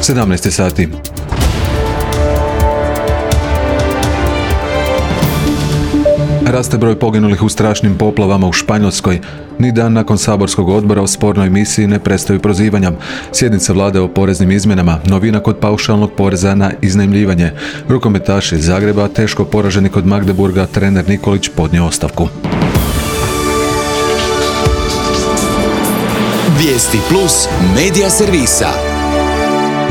17 sati. Raste broj poginulih u strašnim poplavama u Španjolskoj. Ni dan nakon saborskog odbora o spornoj misiji ne prestaju prozivanja. Sjednica vlade o poreznim izmjenama, novina kod paušalnog poreza na iznajmljivanje. Rukometaši iz Zagreba, teško poraženi kod Magdeburga, trener Nikolić podnio ostavku. Vijesti plus medija servisa.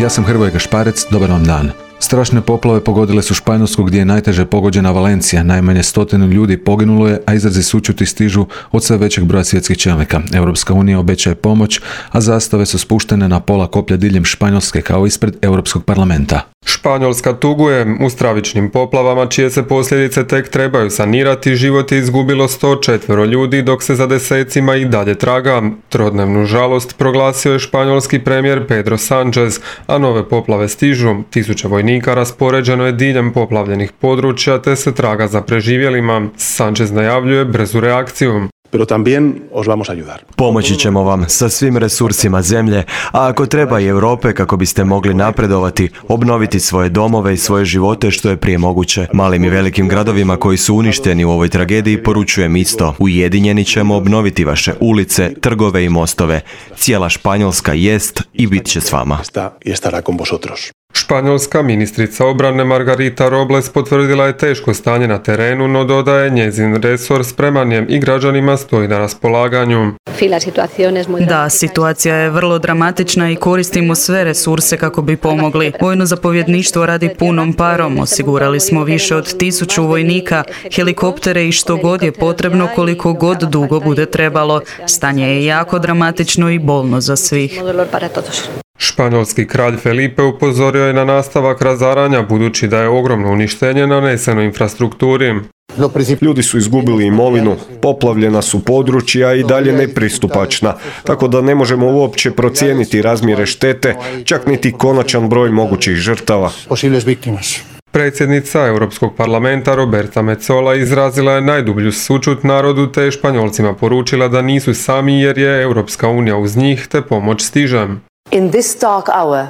Ja sam Hrvoje Gašparec, dobar vam dan. Strašne poplave pogodile su Španjolsku gdje je najteže pogođena Valencija. Najmanje 100 ljudi poginulo je, a izrazi sućuti stižu od sve većeg broja svjetskih čelnika. Europska unija obećaje pomoć, a zastave su spuštene na pola koplja diljem Španjolske kao ispred Europskog parlamenta. Španjolska tuguje. U stravičnim poplavama, čije se posljedice tek trebaju sanirati, život je izgubilo 104 ljudi, dok se za desecima i dalje traga. Trodnevnu žalost proglasio je španjolski premijer Pedro Sánchez, a nove poplave stižu. Tisuće vojnika raspoređeno je diljem poplavljenih područja, te se traga za preživjelima. Sánchez najavljuje brzu reakciju. Pero también os vamos a ayudar. Pomoći ćemo vam sa svim resursima zemlje, a ako treba i Europe kako biste mogli napredovati, obnoviti svoje domove i svoje živote što je prije moguće. Malim i velikim gradovima koji su uništeni u ovoj tragediji poručujem isto. Ujedinjeni ćemo obnoviti vaše ulice, trgove i mostove. Cijela Španjolska jest i bit će s vama. Španjolska ministrica obrane Margarita Robles potvrdila je teško stanje na terenu, no dodaje njezin resor spreman je i građanima stoji na raspolaganju. Da, situacija je vrlo dramatična i koristimo sve resurse kako bi pomogli. Vojno zapovjedništvo radi punom parom, osigurali smo više od 1000 vojnika, helikoptere i što god je potrebno, koliko god dugo bude trebalo. Stanje je jako dramatično i bolno za svih. Španjolski kralj Felipe upozorio je na nastavak razaranja budući da je ogromno uništenje naneseno infrastrukturi. Ljudi su izgubili imovinu, poplavljena su područja i dalje nepristupačna, tako da ne možemo uopće procijeniti razmjere štete, čak niti konačan broj mogućih žrtava. Predsjednica Europskog parlamenta Roberta Metsola izrazila je najdublju sućut narodu te Španjolcima poručila da nisu sami jer je Europska unija uz njih te pomoć stiže.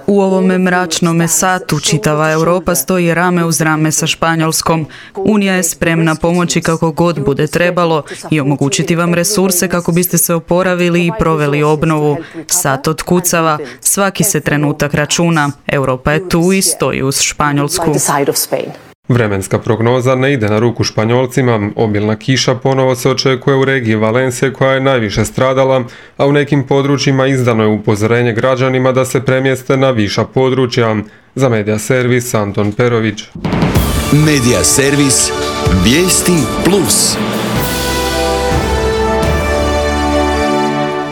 U ovome mračnome satu čitava Europa stoji rame uz rame sa Španjolskom. Unija je spremna pomoći kako god bude trebalo i omogućiti vam resurse kako biste se oporavili i proveli obnovu. Sat otkucava, svaki se trenutak računa. Europa je tu i stoji uz Španjolsku. Vremenska prognoza ne ide na ruku Španjolcima. Obilna kiša ponovo se očekuje u regiji Valencije koja je najviše stradala, a u nekim područjima izdano je upozorenje građanima da se premjeste na viša područja. Za Medija servis Anton Perović. Medija servis Vijesti plus.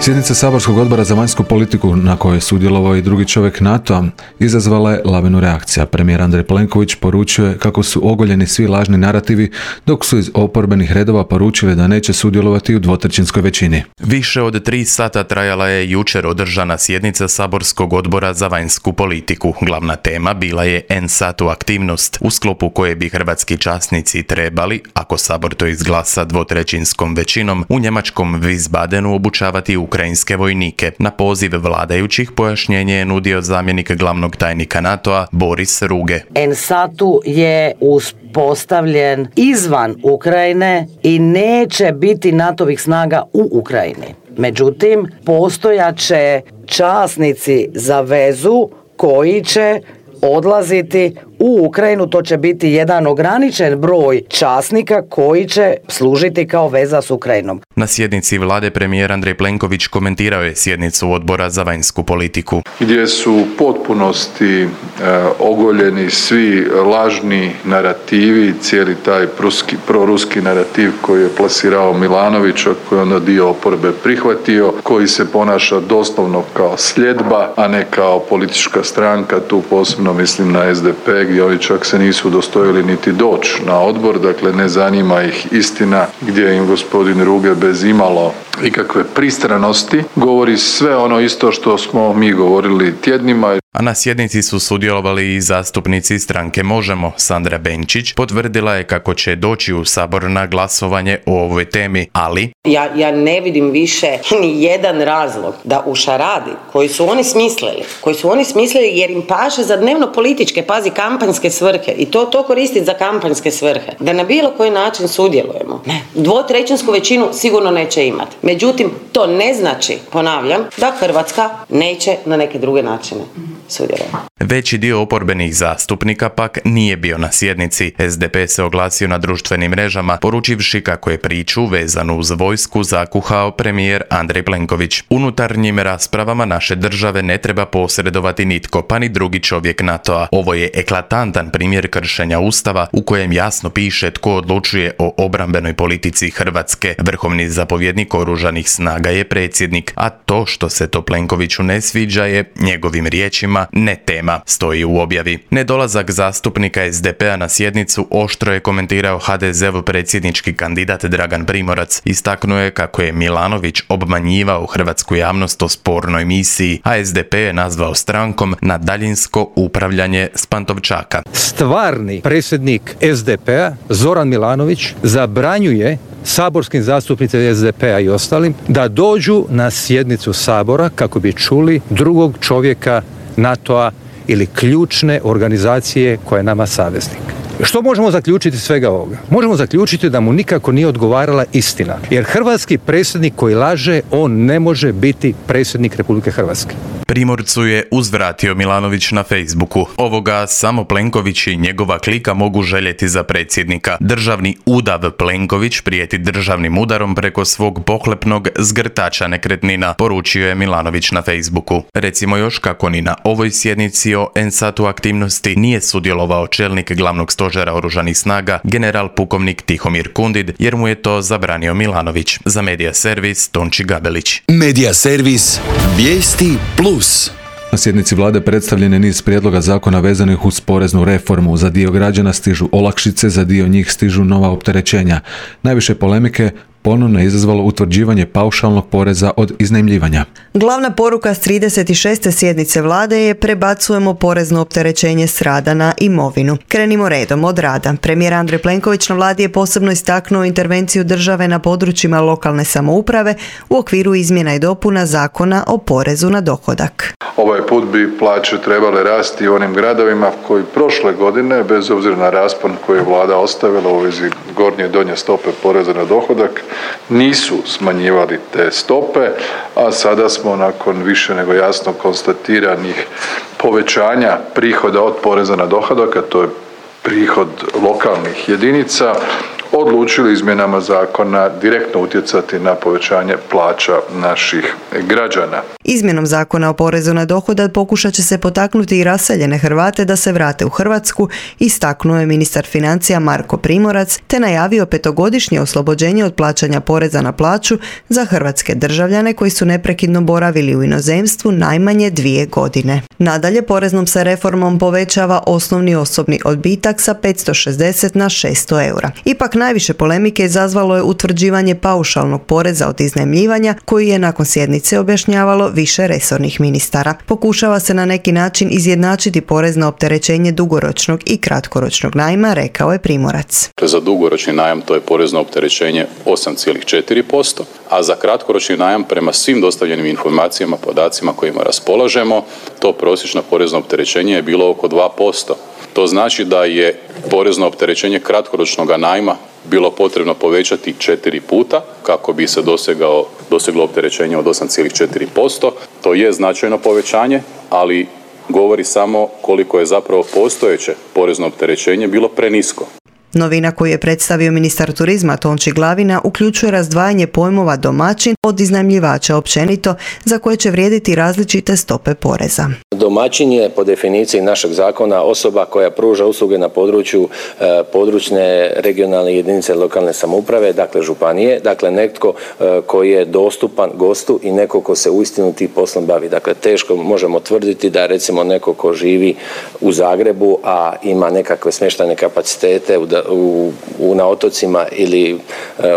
Sjednica saborskog odbora za vanjsku politiku, na kojoj je sudjelovao i drugi čovjek NATO-a, izazvala je lavinu reakcija. Premijer Andrej Plenković poručuje kako su ogoljeni svi lažni narativi, dok su iz oporbenih redova poručili da neće sudjelovati u dvotrećinskoj većini. Više od 3 sata trajala je jučer održana sjednica saborskog odbora za vanjsku politiku. Glavna tema bila je NSATU aktivnost, u sklopu koje bi hrvatski časnici trebali, ako sabor to izglasa dvotrećinskom većinom, u njemačkom Wiesbadenu obučavati ukrajinske vojnike. Na poziv vladajućih pojašnjenje je nudio zamjenik glavnog tajnika NATO-a Boris Ruge. NSATU je uspostavljen izvan Ukrajine i neće biti NATO-vih snaga u Ukrajini. Međutim, postojaće časnici za vezu koji će odlaziti u Ukrajinu. To će biti jedan ograničen broj časnika koji će služiti kao veza s Ukrajinom. Na sjednici vlade premijer Andrej Plenković komentirao je sjednicu odbora za vanjsku politiku. Gdje su u potpunosti ogoljeni svi lažni narativi, cijeli taj proruski narativ koji je plasirao Milanović, koji je onda dio oporbe prihvatio, koji se ponaša doslovno kao sljedba, a ne kao politička stranka. Tu posebno mislim na SDP, gdje oni čak se nisu udostojili niti doći na odbor, dakle ne zanima ih istina, gdje im gospodin Ruge bez imalo ikakve pristranosti, govori sve ono isto što smo mi govorili tjednima. A na sjednici su sudjelovali i zastupnici stranke Možemo. Sandra Benčić potvrdila je kako će doći u Sabor na glasovanje o ovoj temi, ali Ja ne vidim više ni jedan razlog da u šaradi koji su oni smislili jer im paše za dnevno političke, pazi, kampanjske svrhe i to koristiti za kampanjske svrhe, da na bilo koji način sudjelujemo. Ne. 2/3 većinu sigurno neće imati. Međutim, to ne znači, ponavljam, da Hrvatska neće na neke druge načine sudjelovati. Veći dio oporbenih zastupnika pak nije bio na sjednici. SDP se oglasio na društvenim mrežama, poručivši kako je priču vezanu uz vojsku zakuhao premijer Andrej Plenković. Unutarnjim raspravama naše države ne treba posredovati nitko, pa ni drugi čovjek NATO-a. Ovo je eklatantan primjer kršenja Ustava u kojem jasno piše tko odlučuje o obrambenoj politici Hrvatske. Vrhovni zapovjednik oružanih snaga je predsjednik, a to što se to Plenkoviću ne sviđa je, njegovim riječima, ne tema, stoji u objavi. Nedolazak zastupnika SDP-a na sjednicu oštro je komentirao HDZ-ov predsjednički kandidat Dragan Primorac. Istaknuo je kako je Milanović obmanjivao hrvatsku javnost o spornoj misiji, a SDP je nazvao strankom na daljinsko upravljanje s Pantovčaka. Stvarni predsjednik SDP-a, Zoran Milanović, zabranjuje saborskim zastupnicima SDP-a i ostalim da dođu na sjednicu Sabora kako bi čuli drugog čovjeka NATO-a ili ključne organizacije koja je nama saveznik. Što možemo zaključiti iz svega ovoga? Možemo zaključiti da mu nikako nije odgovarala istina. Jer hrvatski predsjednik koji laže, on ne može biti predsjednik Republike Hrvatske. Primorcu je uzvratio Milanović na Facebooku. Ovoga samo Plenković i njegova klika mogu željeti za predsjednika. Državni udav Plenković prijeti državnim udarom preko svog pohlepnog zgrtača nekretnina, poručio je Milanović na Facebooku. Recimo još kako ni na ovoj sjednici o NSAT-u aktivnosti nije sudjelovao čelnik glavnog stožera oružanih snaga, general pukovnik Tihomir Kundid, jer mu je to zabranio Milanović. Za Medija servis Tonči Gabelić. Medija servis Vijesti Plus. Na sjednici vlade predstavljen je niz prijedloga zakona vezanih uz poreznu reformu. Za dio građana stižu olakšice, za dio njih stižu nova opterećenja. Najviše polemike ponovno je izazvalo utvrđivanje paušalnog poreza od iznajmljivanja. Glavna poruka s 36. sjednice vlade je prebacujemo porezno opterećenje s rada na imovinu. Krenimo redom od rada. Premijer Andrej Plenković na vladi je posebno istaknuo intervenciju države na područjima lokalne samouprave u okviru izmjena i dopuna Zakona o porezu na dohodak. Ovaj put bi plaće trebale rasti u onim gradovima koji prošle godine, bez obzira na raspon koji je vlada ostavila u vezi gornje i donje stope poreza na dohodak, nisu smanjivali te stope, a sada smo nakon više nego jasno konstatiranih povećanja prihoda od poreza na dohodak, a to je prihod lokalnih jedinica, odlučili izmjenama zakona direktno utjecati na povećanje plaća naših građana. Izmjenom Zakona o porezu na dohodak pokušat će se potaknuti i raseljene Hrvate da se vrate u Hrvatsku, istaknuo je ministar financija Marko Primorac, te najavio 5-godišnje oslobođenje od plaćanja poreza na plaću za hrvatske državljane koji su neprekidno boravili u inozemstvu najmanje 2 godine. Nadalje, poreznom se reformom povećava osnovni osobni odbitak sa 560 na 600 eura. Ipak najviše polemike izazvalo je utvrđivanje paušalnog poreza od iznajmljivanja, koji je nakon sjednice objašnjavalo više resornih ministara. Pokušava se na neki način izjednačiti porezno opterećenje dugoročnog i kratkoročnog najma, rekao je Primorac. Za dugoročni najam to je porezno opterećenje 8,4%, a za kratkoročni najam prema svim dostavljenim informacijama, podacima kojima raspolažemo, to prosječno porezno opterećenje je bilo oko 2%. To znači da je porezno opterećenje kratkoročnog najma bilo potrebno povećati 4 puta kako bi se doseglo opterećenje od 8,4%. To je značajno povećanje, ali govori samo koliko je zapravo postojeće porezno opterećenje bilo prenisko. Novina koju je predstavio ministar turizma Tonči Glavina uključuje razdvajanje pojmova domaćin od iznajmljivača općenito, za koje će vrijediti različite stope poreza. Domaćin je po definiciji našeg zakona osoba koja pruža usluge na području područne regionalne jedinice lokalne samouprave, dakle županije, dakle netko koji je dostupan gostu i neko ko se uistinu tim poslom bavi. Dakle, teško možemo tvrditi da recimo neko ko živi u Zagrebu, a ima nekakve smještajne kapacitete na otocima ili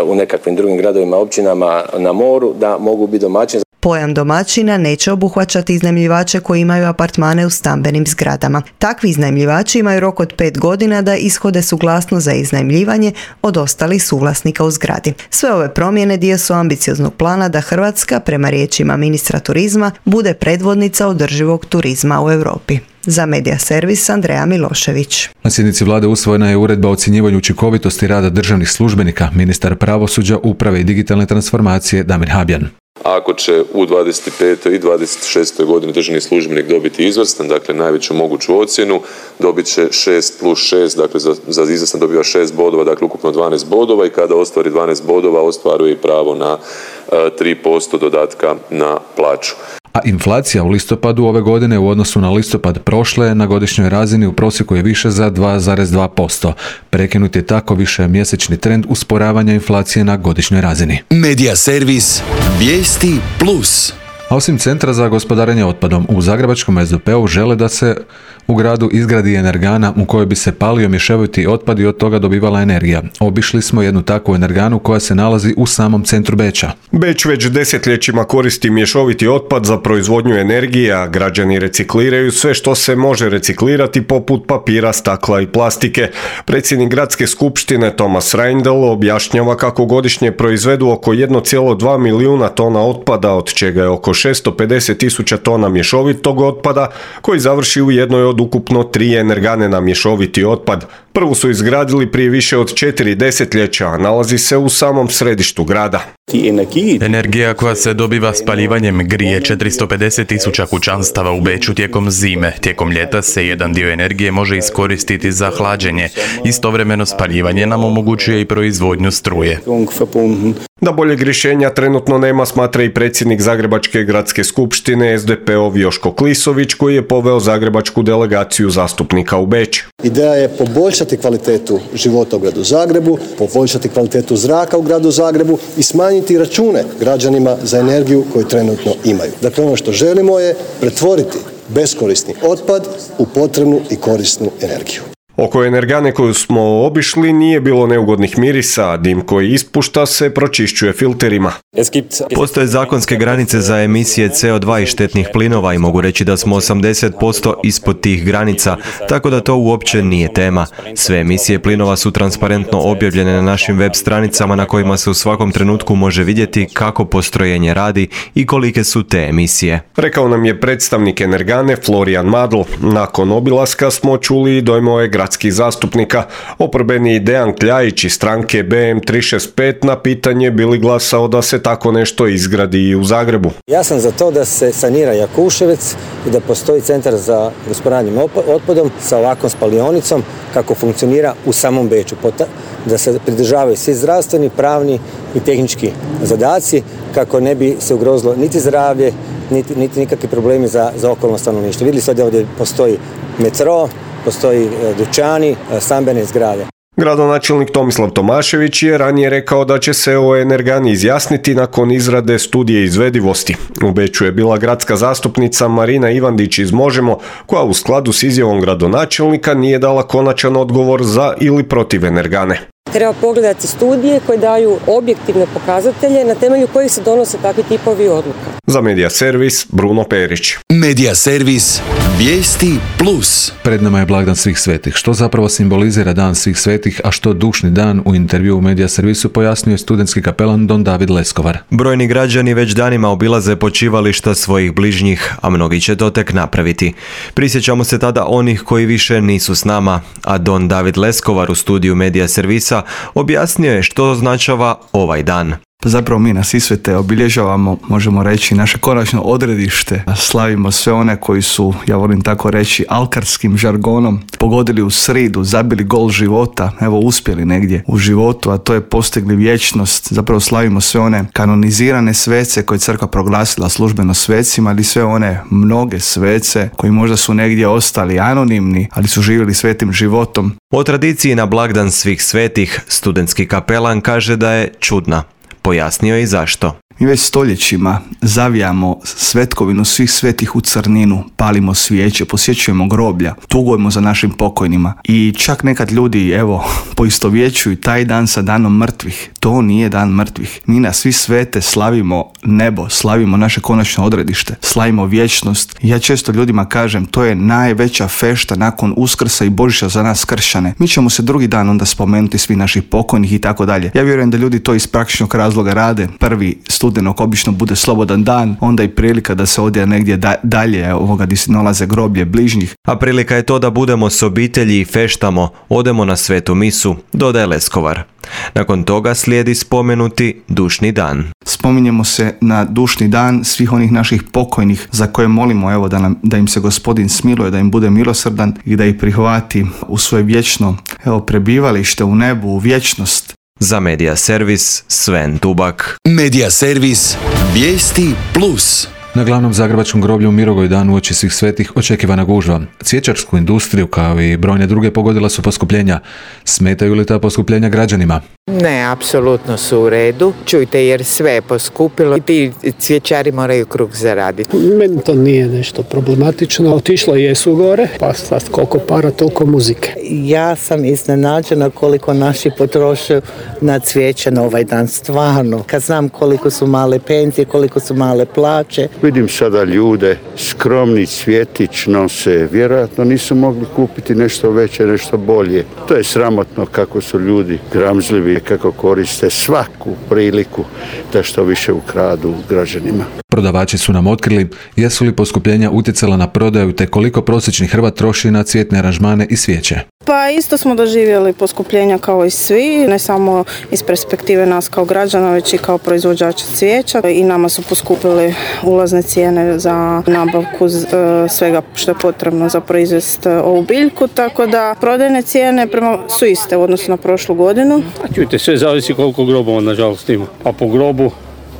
u nekakvim drugim gradovima, općinama na moru, da mogu biti domaćini. Pojam domaćina neće obuhvaćati iznajmljivače koji imaju apartmane u stambenim zgradama. Takvi iznajmljivači imaju rok od 5 godina da ishode suglasnost za iznajmljivanje od ostalih suvlasnika u zgradi. Sve ove promjene dio su ambicioznog plana da Hrvatska, prema riječima ministra turizma, bude predvodnica održivog turizma u Europi. Za Medija servis Andreja Milošević. Na sjednici vlade usvojena je uredba o ocjenjivanju učinkovitosti rada državnih službenika. Ministar pravosuđa, uprave i digitalne transformacije Damir Habjan. Ako će u 25. i 26. godini državni službenik dobiti izvrstan, dakle najveću moguću ocjenu, dobit će 6+6, dakle za izvrstan dobiva 6 bodova, dakle ukupno 12 bodova i kada ostvari 12 bodova ostvaruje i pravo na 3% dodatka na plaću. A inflacija u listopadu ove godine u odnosu na listopad prošle na godišnjoj razini u prosjeku je više za 2,2%. Prekinut je tako više mjesečni trend usporavanja inflacije na godišnjoj razini. Medija servis Vijesti Plus. A osim Centra za gospodarenje otpadom, u zagrebačkom SDP-u žele da se u gradu izgradi energana u kojoj bi se palio mješoviti otpad i od toga dobivala energija. Obišli smo jednu takvu energanu koja se nalazi u samom centru Beča. Beč već desetljećima koristi mješoviti otpad za proizvodnju energije, a građani recikliraju sve što se može reciklirati poput papira, stakla i plastike. Predsjednik gradske skupštine Tomas Reindl objašnjava kako godišnje proizvedu oko 1,2 milijuna tona otpada, od čega je oko 650.000 tona mješovitog otpada koji završi u jednoj od ukupno 3 energane na mješoviti otpad. Prvu su izgradili prije više od 4 desetljeća, a nalazi se u samom središtu grada. Energija koja se dobiva spaljivanjem grije 450.000 kućanstava u Beču tijekom zime. Tijekom ljeta se jedan dio energije može iskoristiti za hlađenje. Istovremeno spaljivanje nam omogućuje i proizvodnju struje. Da boljeg rješenja trenutno nema, smatra i predsjednik Zagrebačke gradske skupštine SDP-ov Joško Klisović, koji je poveo zagrebačku delegaciju zastupnika u Beč. Ideja je poboljšati kvalitetu života u gradu Zagrebu, poboljšati kvalitetu zraka u gradu Zagrebu i smanjiti račune građanima za energiju koju trenutno imaju. Dakle, ono što želimo je pretvoriti beskorisni otpad u potrebnu i korisnu energiju. Oko energane koju smo obišli nije bilo neugodnih mirisa, a dim koji ispušta se pročišćuje filterima. Postoje zakonske granice za emisije CO2 i štetnih plinova i mogu reći da smo 80% ispod tih granica, tako da to uopće nije tema. Sve emisije plinova su transparentno objavljene na našim web stranicama na kojima se u svakom trenutku može vidjeti kako postrojenje radi i kolike su te emisije. Rekao nam je predstavnik energane Florijan Madl. Nakon obilaska smo čuli i dojmove gradskih zastupnika. Oporbeni Dejan Kljajić iz stranke BM365 na pitanje bi li glasao da se tako nešto izgradi i u Zagrebu. Ja sam za to da se sanira Jakuševec i da postoji centar za gospodarenje otpadom sa ovakvom spalionicom kako funkcionira u samom Beču. Da se pridržavaju svi zdravstveni, pravni i tehnički zadaci kako ne bi se ugrozilo niti zdravlje, niti nikakvi problemi za okolno stanovništvo. Vidjeli ste ovdje postoji metro, postoji dućani, stambene zgrade. Gradonačelnik Tomislav Tomašević je ranije rekao da će se o energani izjasniti nakon izrade studije izvedivosti. U Beču je bila gradska zastupnica Marina Ivandić iz Možemo, koja u skladu s izjavom gradonačelnika nije dala konačan odgovor za ili protiv energane. Treba pogledati studije koje daju objektivne pokazatelje na temelju kojih se donose takvi tipovi odluka. Za Medija servis Bruno Perić. Medija servis Vijesti Plus. Pred nama je blagdan svih svetih. Što zapravo simbolizira dan svih svetih, a što dušni dan, u intervju u Medija servisu pojasnio je studentski kapelan Don David Leskovar. Brojni građani već danima obilaze počivališta svojih bližnjih, a mnogi će to tek napraviti. Prisjećamo se tada onih koji više nisu s nama, a Don David Leskovar u studiju Medija servisa objasnio je što označava ovaj dan. Zapravo mi na Sisvete obilježavamo, možemo reći, naše konačno odredište. Slavimo sve one koji su, ja volim tako reći, alkarskim žargonom pogodili u sridu, zabili gol života, evo uspjeli negdje u životu, a to je postigli vječnost. Zapravo slavimo sve one kanonizirane svece koje je crkva proglasila službeno svecima, ali sve one mnoge svece koji možda su negdje ostali anonimni, ali su živjeli svetim životom. O tradiciji na blagdan svih svetih studentski kapelan kaže da je čudna. Pojasnio i zašto. Mi već stoljećima zavijamo svetkovinu svih svetih u crninu, palimo svijeće, posjećujemo groblja, tugujemo za našim pokojnima i čak nekad ljudi, poistovjećuju taj dan sa danom mrtvih. To nije dan mrtvih. Mi na svi svete slavimo nebo, slavimo naše konačno odredište, slavimo vječnost. Ja često ljudima kažem, to je najveća fešta nakon Uskrsa i Božića za nas kršćane. Mi ćemo se drugi dan onda spomenuti svi naših pokojnih i tako dalje. Ja vjerujem da ljudi to iz praktičnog razloga rade. 1. studenog obično bude slobodan dan, onda i prilika da se odje negdje dalje gdje se nalaze groblje bližnjih. A prilika je to da budemo s obitelji i feštamo, odemo na svetu misu, dodaje Leskovar. Nakon toga slijedi spomenuti dušni dan. Spominjemo se na dušni dan svih onih naših pokojnih za koje molimo da im se Gospodin smiluje, da im bude milosrdan i da ih prihvati u svoje vječno prebivalište u nebu, u vječnost. Za Medija servis Sven Tubak. Medija servis Vijesti Plus. Na glavnom zagrebačkom groblju u Mirogoj dan uoči svih svetih očekivana gužva. Cvjećarsku industriju kao i brojne druge pogodila su poskupljenja. Smetaju li ta poskupljenja građanima? Ne, apsolutno su u redu. Čujte, jer sve je poskupilo i ti cvjećari moraju kruh zaraditi. Meni to nije nešto problematično. Otišlo jesu gore, pa sad koliko para, toliko muzike. Ja sam iznenađena koliko naši potroše na cvijeće na ovaj dan. Stvarno, kad znam koliko su male penzije, koliko su male plaće. Vidim sada ljude, skromni cvjetić nose, vjerojatno nisu mogli kupiti nešto veće, nešto bolje. To je sramotno kako su ljudi gramzljivi, kako koriste svaku priliku da što više ukradu građanima. Prodavači su nam otkrili jesu li poskupljenja utjecala na prodaju te koliko prosječni Hrvat troši na cvjetne aranžmane i svijeće. Pa isto smo doživjeli poskupljenja kao i svi, ne samo iz perspektive nas kao građana, već i kao proizvođača cvijeća. I nama su poskupili ulazne cijene za nabavku svega što je potrebno za proizvest ovu biljku, tako da prodajne cijene su iste u odnosu na prošlu godinu. Čujte, sve zavisi koliko grobova nažalost ima. A po grobu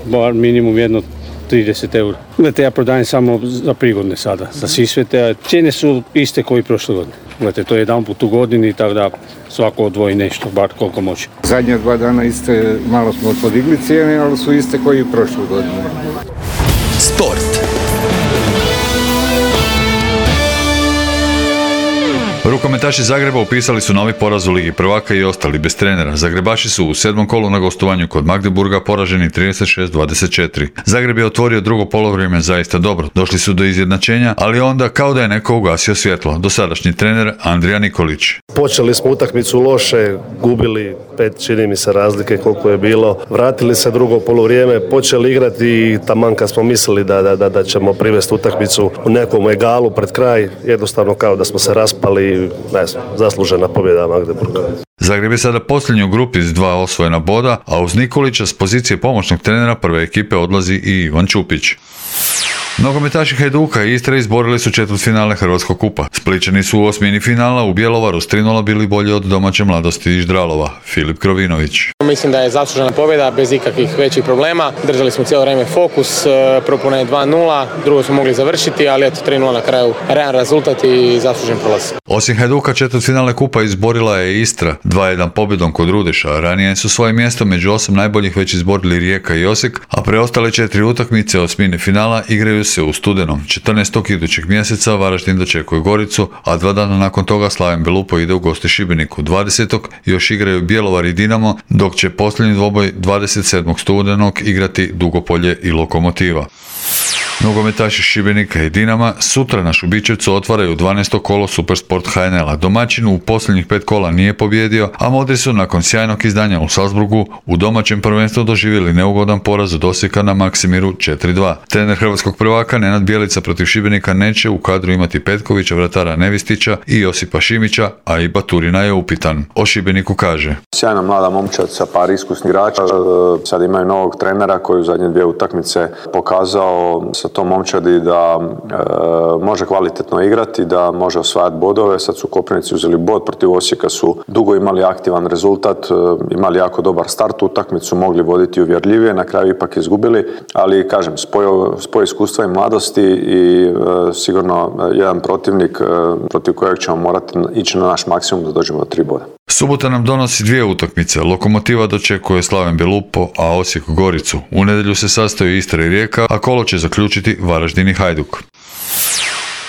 bar minimum jedno 30 eura. Gledajte, ja prodajem samo za prigodne sada, za Sisvete, a cijene su iste koji prošle godine. Gledajte, to je jedan put u godini, tako da svako odvoji nešto, bar koliko može. Zadnje 2 dana iste, malo smo podigli cijene, ali su iste koji i prošle godine. Sport. Rukometaši Zagreba upisali su novi poraz u Ligi prvaka i ostali bez trenera. Zagrebaši su u 7. kolu na gostovanju kod Magdeburga poraženi 36-24. Zagreb je otvorio drugo polovrijeme zaista dobro. Došli su do izjednačenja, ali onda kao da je neko ugasio svjetlo. Dosadašnji trener Andrija Nikolić. Počeli smo utakmicu loše, gubili 5 čini mi se razlike koliko je bilo. Vratili se drugo polovrijeme, počeli igrati i taman kad smo mislili da ćemo privesti utakmicu u nekom egalu pred kraj, jednostavno kao da smo se raspali. Zaslužena pobjeda Magdeburga. Zagreb je sada posljednji u grupi s 2 osvojena boda, a uz Nikolića s pozicije pomoćnog trenera prve ekipe odlazi i Ivan Čupić. Nogometaši Hajduka i Istre izborili su četvrtfinale Hrvatskog kupa. Splićani su u osmini finala u Bjelovaru s 3:0 bili bolji od domaće Mladosti iz Ždralova. Filip Krovinović. Mislim da je zaslužena pobjeda bez ikakvih većih problema. Držali smo cijelo vrijeme fokus, propune 2:0, drugo smo mogli završiti, ali eto 3:0 na kraju realan rezultat i zaslužen prolaz. Osim Hajduka četvrtfinale kupa izborila je Istra 2:1 pobjedom kod Rudeša. Ranije su svoje mjesto među 8 najboljih već izborili Rijeka i Osijek, a preostale 4 utakmice osmine finala igraju se u studenom. 14. idućeg mjeseca Varaždin dočekuje Goricu, a 2 dana nakon toga Slaven Belupo ide u goste Šibeniku. 20. još igraju Bjelovar i Dinamo, dok će posljednji dvoboj 27. studenog igrati Dugopolje i Lokomotiva. Nogometaši Šibenika i Dinama sutra na Šubićevcu otvaraju 12. kolo Supersport HNL-a. Domaćin u posljednjih 5 kola nije pobijedio, a Modri su nakon sjajnog izdanja u Salzburgu u domaćem prvenstvu doživjeli neugodan poraz od Osijeka na Maksimiru 4:2. Trener hrvatskog prvaka Nenad Bjelica protiv Šibenika neće u kadru imati Petkovića, vratara Nevistića i Josipa Šimića, a i Baturina je upitan. O Šibeniku kaže: sjajna mlada momčad sa par iskusnih igrača, sad imaju novog trenera koji u zadnje 2 utakmice pokazao sa tom momčadi da može kvalitetno igrati, da može osvajati bodove. Sad su Koprivnici uzeli bod, protiv Osijeka su dugo imali aktivan rezultat, imali jako dobar start utakmicu, mogli voditi uvjerljivije, na kraju ipak izgubili, ali kažem, spoj iskustva i mladosti i sigurno jedan protivnik protiv kojeg ćemo morati ići na naš maksimum da dođemo do 3 boda. Subota nam donosi 2 utakmice. Lokomotiva dočekuje Slaven Belupo, a Osijek Goricu. U nedjelju se sastaju Istra i Rijeka, a kolo će zaključiti Varaždin i Hajduk.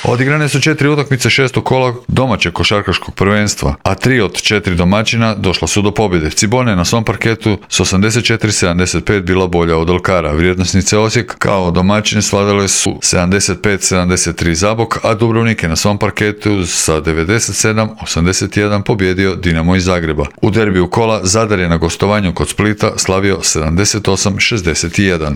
Odigrane su 4 utakmice 6. kola domaćeg košarkaškog prvenstva, a 3 od 4 domaćina došla su do pobjede. Cibona je na svom parketu s 84-75 bila bolja od Alkara. Vrijednosnice Osijek kao domaćine svladale su 75-73 Zabok, a Dubrovnik je na svom parketu sa 97-81 pobjedio Dinamo iz Zagreba. U derbiju kola Zadar je na gostovanju kod Splita slavio 78-61.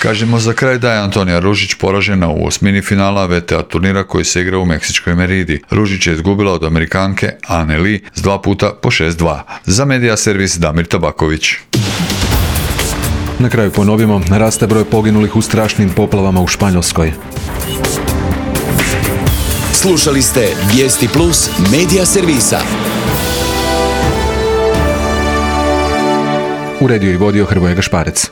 Kažemo za kraj da je Antonija Ružić poražena u osmini finala VTA turnira koji se igra u Meksičkoj Meridi. Ružić je izgubila od Amerikanke Anne Lee s 2 puta po 6-2. Za Medija servis Damir Tabaković. Na kraju ponovimo, raste broj poginulih u strašnim poplavama u Španjolskoj. Slušali ste Vijesti Plus Medija servisa. Uredio i vodio Hrvoje Gašparec.